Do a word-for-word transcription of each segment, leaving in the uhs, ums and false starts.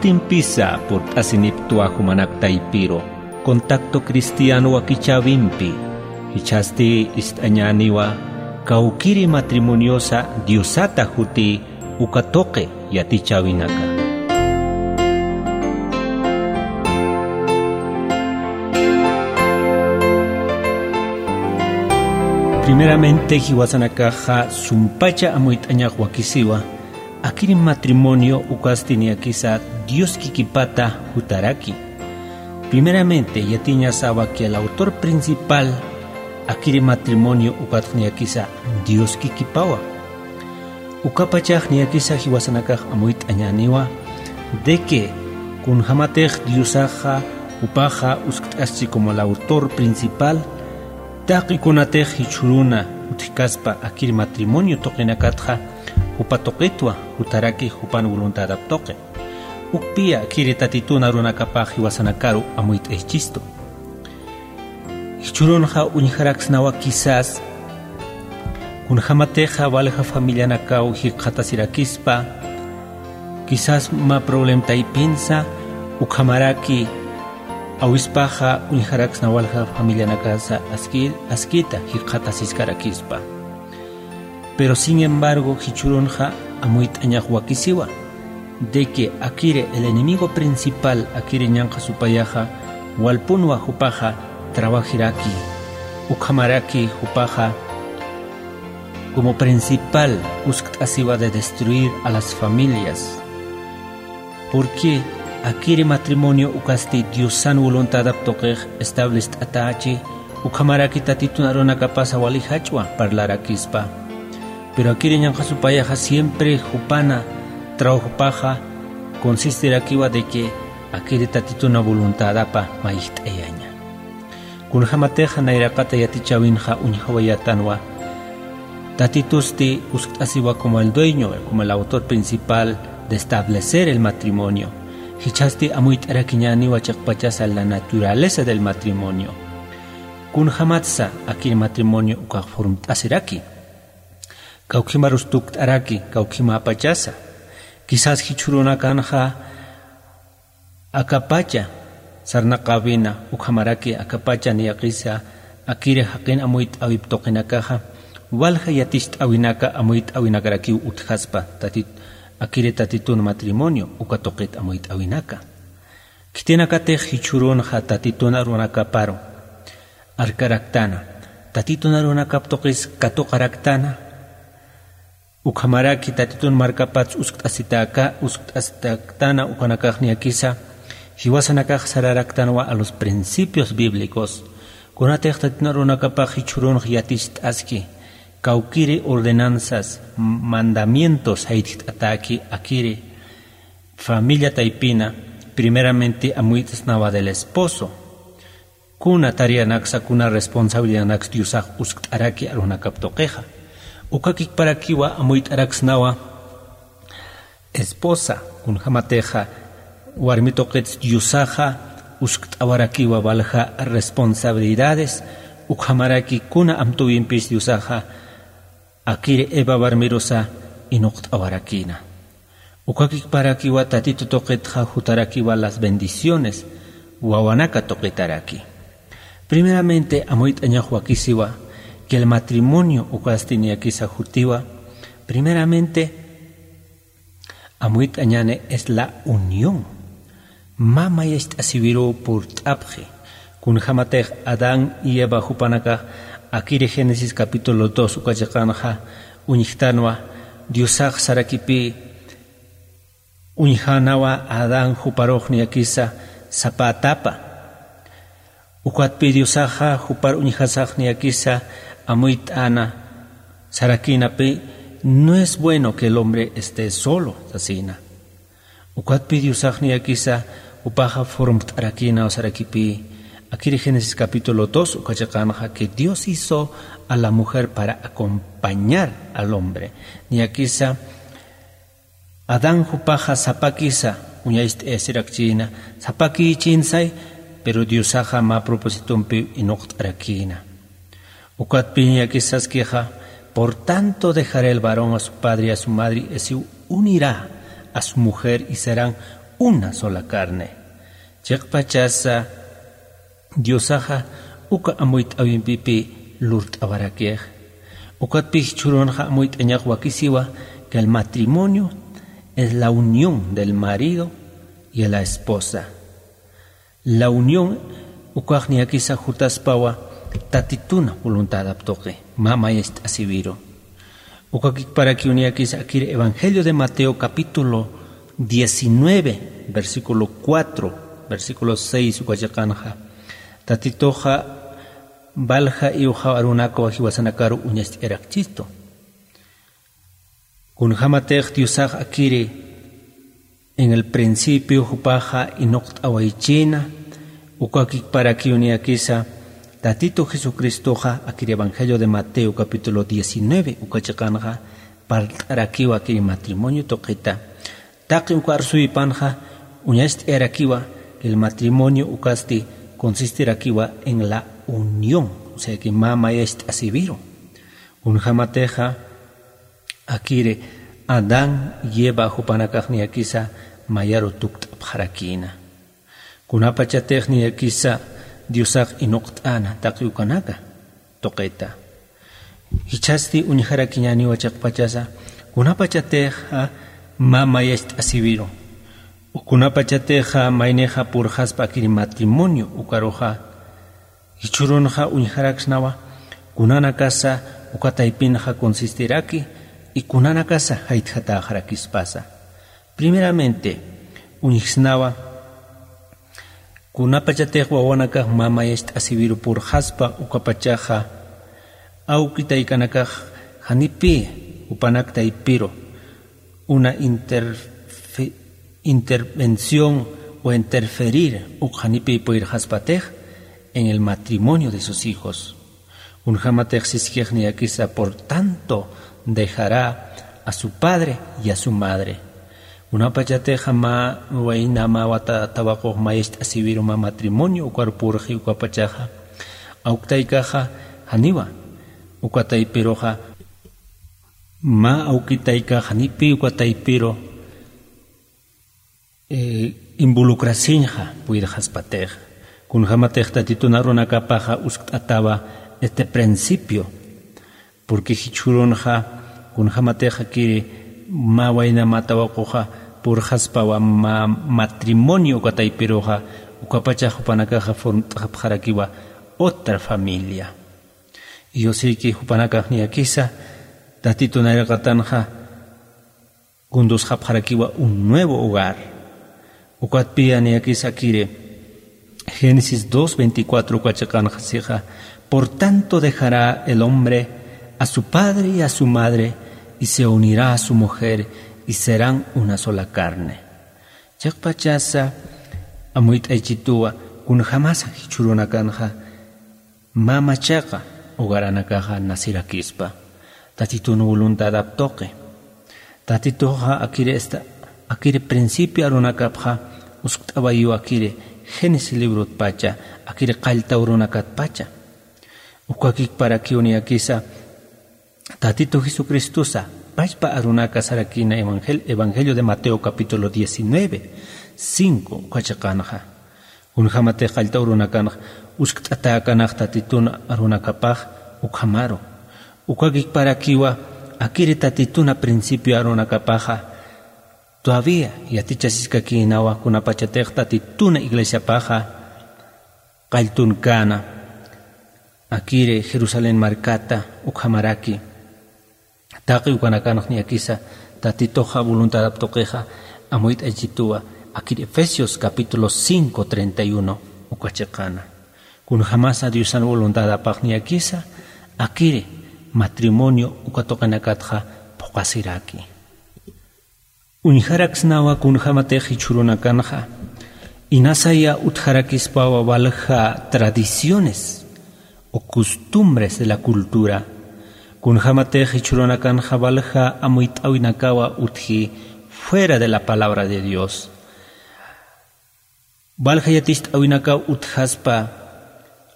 Impisa purt'asinipktwa jumanak taypiru, Contacto Cristiano wakichäwimpi. Jichhasti ist'añäniwa kawkiri matrimoniosa Diosata juti uka tuqi yatichäwinaka. Primeramente, jiwasanakaxa sumpacha amuyt'añax wakisiwa, akiri matrimonio ukasti niyakisa Dios kikipata jutaraki. Primeramente, yatiñasawa que el autor principal akiri matrimonio ukatx niyakisa Dios kikipawa. Ukapachax niyakisa jiwasanakax amuyt'añäniwa de que kunjamatix Diosaxa jupaxa uskt'aschi como el autor principal, taqi kunatix jichhüruna utjkaspa akiri matrimonio tuqinakatxa, jupa tuqitwa jutaraki jupan voluntadap tuqi. Ukpiya akiri Tatitun arunakapax jiwasanakaru amuyt'aychistu. Jichhürunxa uñjaraksnawa quizás kunjamatixa walja familianakaw jikxatasirakispa, quizás mä problem taypinsa, ukhamaraki awispaxa uñjaraksna walja familianakasa aski-, askita jikxatasiskarakispa. Pero sin embargo, jichhürunxa amuyt'añax wakisiwa de que akiri el enemigo principal akiri ñanqha supayaxa walpunwa jupaxa trabajiraki, ukhamaraki jupaxa como principal uskt'asiwa de destruir a las familias. Porque akiri matrimonio ukasti Diosan voluntadap tuqix establest'atächi, ukhamaraki Tatitun arunakapasa wali jach'wa parlarakispa. Pero akiri ñanqha supayaxa siempre jupana trabajopaxa consistirakiwa de que akiri Tatituna voluntadapa mayjt'ayaña. Kunjamatixa nayraqata yatichäwinxa uñjawayätanwa, Tatitusti uskt'asiwa como el dueño, como el autor principal de establecer el matrimonio. Jichhasti amuyt'arakiñäniwa chiqpachasa la naturaleza del matrimonio. Kunjamatsa akiri matrimonio ukax formt'asiraki. Kawkhimarus tukt'araki, kawkhimäpachasa. Quizás jichhürunakanxa akapacha sarnaqäwina, ukhamaraki akapacha niyakisa akiri jaqin amuyt'äwip tuqinakaxa, walja yaticht'äwinaka amuyt'äwinakarakiw utjaspa, Tatit-, akiri Tatitun matrimonio uka tuqit amuyt'äwinaka. Khitinakatix jichhürunxa Tatitun arunakaparu arkaraktäna, Tatitun arunakap tuqis katuqaraktäna, ukhamaraki Tatitun markapats uskt'asitäka, uskt'asitaktana ukanakax niyakisa, jiwasanakax sararaktanwa a los principios bíblicos. Kunatix Tatitun arunakapax jichhürunx yaticht'aski, kawkiri ordenanzas, m-, mandamientos jaytjt'atäki akiri familia taypina, primeramente amuyt'snawa del esposo. Kuna tareanaksa, kuna responsabilidadanaksa Diosax uskt'araki arunakap tuqixa. Ukakikparakiwa amuyt'araksnawa esposa, kunjamatixa warmi tuqits Diosaxa uskt'awarakiwa walja responsabilidades, ukhamaraki kuna amtuwimpis Diosaxa akiri Eva warmirusa inuqt'awarakïna. Ukakikparakiwa Tatitu tuqitxa jutarakiwa las bendiciones, wawanaka tuqitaraki. Primeramente, amuyt'añax wakisiwa, que el matrimonio ukasti niyakisa jutiwa. Primeramente, amuyt'añäni es la unión. Mä mayacht'asiwiruw purt'apxi. Kunjamatix Adán y Eva jupanakax akiri Génesis capítulo dos uka chiqanxa uñjtanwa, Diosax sarakipï uñjänawa Adán juparux niyakisa sapa atapa. Ukatpï Diosaxa jupar uñjasax niyakisa amuyt'äna sarakïnapï, no es bueno que el hombre esté solo, sasïna. Ukatpï Diosax niyakisa jupaxa formt'arakïnaw sarakipï, akiri Génesis capítulo dos uka chiqanxa, que Dios hizo a la mujer para acompañar al hombre. Niyakisa Adán jupaxa sapakisa uñacht'ayasirakchïna, sapakïchïnsay, pero Diosaxa mä propósitompiw inuqt'arakïna. Ukatpï niyakisa saskixa, por tanto dejará el varón a su padre y a su madre, y se unirá a su mujer, y serán una sola carne. Chiqpachasa Diosaxa uka amuyt'äwimpipi lurt'awarakix. Ukatpï jichhürunxa amuyt'añax wakisiwa que el matrimonio es la unión del marido y la esposa. La unión ukax niyakisa jutaspawa Tatituna voluntadap tuqi, mä mayacht'asiwiru. Ukakikparakiw niyakisa akir Evangelio de Mateo capítulo diecinueve, versículo cuatro, versículo seis uka chiqanxa. Tatituxa valja iwxaw arunakaw jiwasanakaru uñacht'ayarakchistu. Kunjämatix Diosax akiri en el principio jupaxa inuqt'awaychïna, ukakikparakiw niyakisa Tatitu Jesucristoxa akir Evangelio de Mateo capítulo diecinueve uka chiqanxa parlt'arakiwa akir matrimonio tuqita. Taqi uka arsuwipanxa uñacht'ayarakiwa que el matrimonio ukasti consistirakiwa en la unión, o sea que mä mayacht'asiwiru. Kunjämatixa akiri Adán y Eva jupanakax niyakisa mayaru tukt'apxarakïna. Kunapachatix niyakisa Diosax inuqt'äna taqi ukanaka tuqita. Jichhasti uñjarakiñäniwa chiqpachasa, kunapachatixa mä mayacht'asiwiru, kunapachatixa maynixa purxaspa akiri matrimonio ukaruxa, jichhürunxa uñjaraksnawa kunanakasa uka taypinxa consistiraki y kunanakasa jaytjatäxarakispasa. Primeramente, uñjsnawa kunapachatix wawanakax mä mayacht'asiwiru purxaspa ukapachaxa, awki taykanakax janipï jupanak taypiru una interfe-, intervención o interferir uk janipï puyirxaspatix en el matrimonio de sus hijos. Kunjämatix siskix niyakisa, por tanto dejará a su padre y a su madre. Kunapachatixa mä wayna mä wata tawaqux mayacht'asiwiru mä matrimonio ukar purxi ukapachaxa, awki taykaxa janiwa uka taypiruxa, mä awki taykax janipï uka taypiru eh, involucrasiñxa puyirxaspatix. Kunjämatix Tatitun arunakapaxa uskt'atawa este principio, porque jichhürunxa kunjämatix akiri mä wayna mä tawaquxa purxaspawa mä matrimonio uka taypiruxa, ukapachax jupanakaxa formt'apxarakiwa otra familia. Y yo sé que jupanakax niyakisa Tatitun nayraqatanxa kundusxapxarakiwa un nuevo hogar. Ukatpï niyakisa akiri Génesis dos veinticuatro uka chiqanxa sixa: "Por tanto dejará el hombre a su padre y a su madre, y se unirá a su mujer, y serán una sola carne". Chiqpachasa amuyt'aychituwa kunjämasa jichhürunakanxa mä machaqa hogaranakaxa nacirakispa, Tatitun voluntadap tuqi. Tatituxa akiri esta, akiri principio arunakapxa uskt'awayiw akiri Génesis librotpacha, akiri qallta urunakatpacha. Ukakikparakiw niyakisa Tatitu Jesucristosa pachpa arunaka sarakïna evangel-, Evangelio de Mateo capítulo diecinueve, cinco uka chiqanxa. Kunjämatix qallta urunakanx uskt'atäkanax Tatitun arunakapax ukhamaru. Ukakikparakiwa akiri Tatituna principio arunakapaxa todavía yatichasiskakïnawa kunapachatix Tatituna iglesiapaxa qalltunkäna, akiri Jerusalén markata ukhamaraki. Taqi ukanakanx niyakisa Tatituxa voluntadap tuqixa amuyt'aychituwa, akir Efesios capítulo cinco treinta y uno uka chiqana. Kunjämasa Diosan voluntadapax niyakisa akiri matrimonio uka tuqinakatxa phuqasiraki. Uñjaraksnawa kunjämatix jichhürunakanxa inasaya utjarakispawa walja tradiciones o costumbres de la cultura. Kunjämatix jichhürunakanxa walja amuyt'äwinakawa utji fuera de la palabra de Dios. Walja yaticht'äwinakaw utjaspa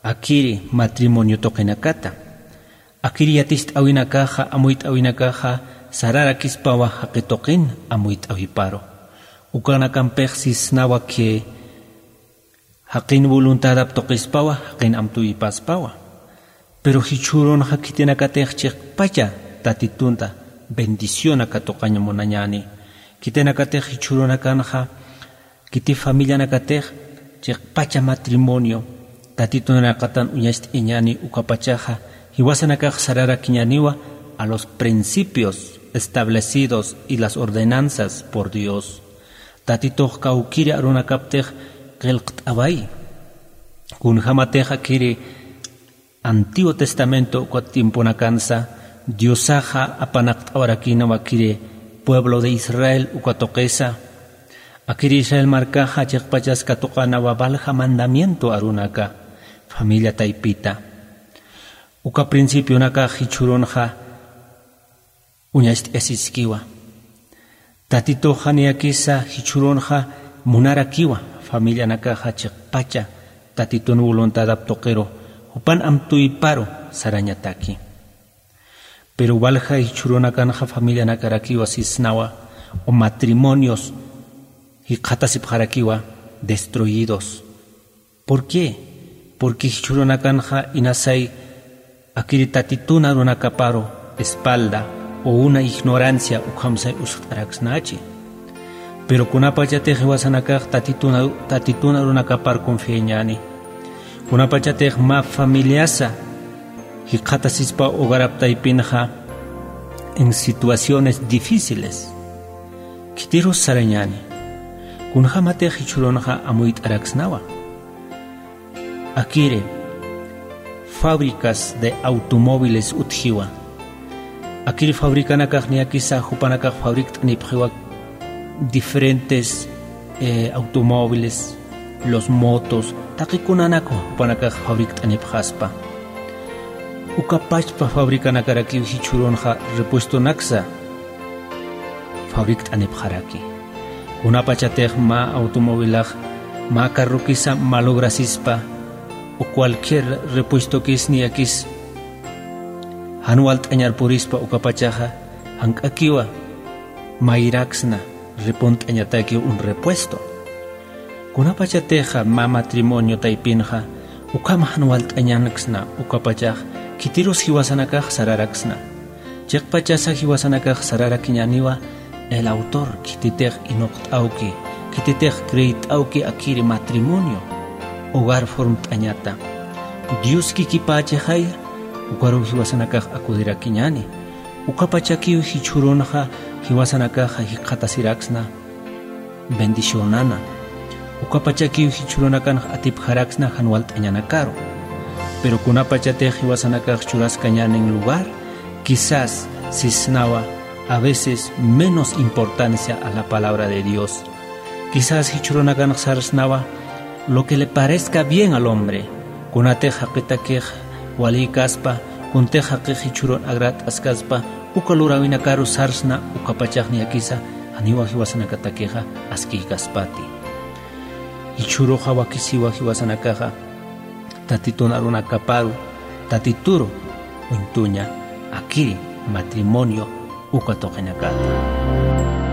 akiri matrimonio tuqinakata. Akiri yaticht'äwinakaxa, amuyt'äwinakaxa sararakispawa jaqi tuqin amuyt'äwiparu. Ukanakampix sisnawa que jaqin voluntadap tuqispawa, jaqin amtuyipaspawa. Pero jichhürunxa khitinakatix chiqpacha Tatitunta bendición aka tuqañ munañäni. Khitinakatix jichhürunakanxa, khiti familianakatix chiqpacha matrimonio Tatitunakatan uñacht'ayañäni, ukapachaxa jiwasanakax sararakiñäniwa a los principios establecidos y las ordenanzas por Dios. Tatitux kawkiri arunakaptix qillqt'awayi. Kunjämatix akiri Antiguo Testamento uka tiemponakansa Diosaxa apanaqt'awarakïnwa akiri pueblo de Israel uka tuqisa. Akiri Israel markaxa chiqpachas katuqänawa valja mandamiento arunaka, familia taypita. Uka principionakax jichhürunxa uñacht'ayasiskiwa. Tatituxa niyakisa jichhürunxa munarakiwa familianakaxa chiqpacha Tatitun voluntadap tuqiru, jupan amtuyparu sarañataki. Pero walja jichhürunakanxa familianakarakiwa sisnawa, o matrimonios jikxatasipxarakiwa destruidos. ¿Por qué? Porque jichhürunakanxa inasay akiri Tatitun arunakaparu espalda o una ignorancia ukhamsay uskt'araksnachi. Pero kunapachatix jiwasanakax Tatitun aru-, Tatitun arunakapar confiañäni. Kunapachatix mä familiasa jikxatasispa hogarap taypinxa en situaciones difíciles. Khitirus sarañäni. Kunjämatix jichhürunxa amuyt'araksnawa. Akiri fábricas de automóviles utjiwa. Akiri fabricanakax niyakisa jupanakax fabrikt'anipxiwa diferentes, eh, automóviles, los motos, taqi kunanakwa jupanakax fabrikt'anipxaspa. Uka pachpa fabricanakarakiw jichhürunxa repuestonaksa fabrikt'anipxaraki. Kunapachatix mä automovilax mä carrokisa malograsispa o cualquier repuestokis niyakis jan walt'añar purispa ukapachaxa, jank'akiwa mayraksna repunt'añataki un repuesto. Kunapachatixa mä matrimonio taypinxa ukham jan walt'añanksna ukapachax khitirus jiwasanakax sararaksna. Chiqpachasa jiwasanakax sararakiñäniwa el autor, khititix inuqt'awki, khititix creet'awki akiri matrimonio, hogar formt'añata. Dios kikipächixaya, ukaruw jiwasanakax akudirakiñäni. Ukapachakiw jichhürunxa jiwasanakaxa jikxatasiraksna bendicionana. Ukapachakiw jichhürunakanx atipxaraksna jan walt'añanakaru. Pero kunapachatix jiwasanakax churaskañänin lugar, quizás sisnawa a veces menos importancia a la palabra de Dios. Quizás jichhürunakanx sarsnawa lo que le parezca bien al hombre. Kunatix jaqitakix walïkaspa, kuntix jaqix jichhürun agradt'askaspa, uka luräwinakaru sarsna ukapachax niyakisa janiwa jiwasanakatakixa askïkaspati. Jichhüruxa wakisiwa jiwasanakaxa Tatitun arunakaparu, Tatituru uñtuña akiri matrimonio uka tuqinakata.